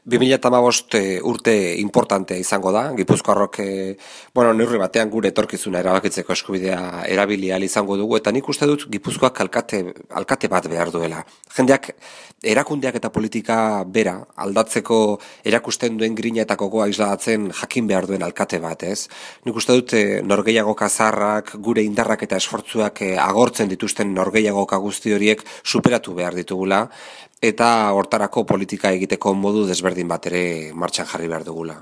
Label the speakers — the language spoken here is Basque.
Speaker 1: 2015 urte importantea izango da, Gipuzkoarrok, neurri batean gure etorkizuna erabakitzeko eskubidea erabili ahal izango dugu, eta nik uste dut Gipuzkoak alkate bat behar duela. Jendeak, erakundeak eta politika bera, aldatzeko erakusten duen grina eta gogoa isladatzen jakin behar duen alkate bat, ez? Nik uste dut norgehiagoka zaharrak, gure indarrak eta esfortzuak agortzen dituzten norgehiagoka guzti horiek superatu behar ditugula, eta hortarako politika egiteko modu desberdin bat ere martxan jarri behar dugula.